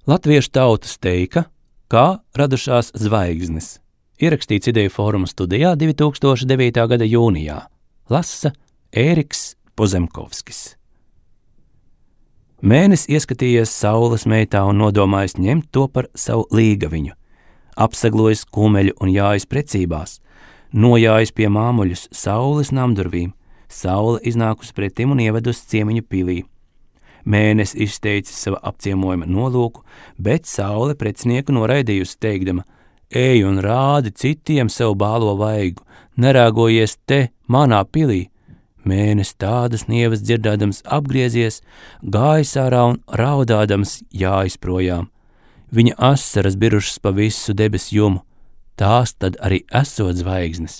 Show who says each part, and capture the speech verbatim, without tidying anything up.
Speaker 1: Latviešu tautas teika, kā radušās zvaigznes. Ierakstīts Ideju fóruma studijā divi tūkstoši devītā gada jūnijā. Lasa Ēriks Pozemkovskis. Mēnes ieskatījies saules meitā un nodomājis ņemt to par savu līgaviņu. Apsaglojis kumeļu un jājas precībās, nojājis pie māmuļus saules namdurvīm, saule iznākus pretim un ievedus ciemiņu pilī. Mēnes izteicis sava apciemojuma nolūku, bet saule precinieku noraidījusi teikdama: ej un rādi citiem savu bālo vaigu, nerāgojies te, manā pilī. Mēnes tādas nievas dzirdādams apgriezies, gājis ārā un raudādams jājas projām. Viņa asaras birušas pa visu debes jumu, tās tad arī esot zvaigznes.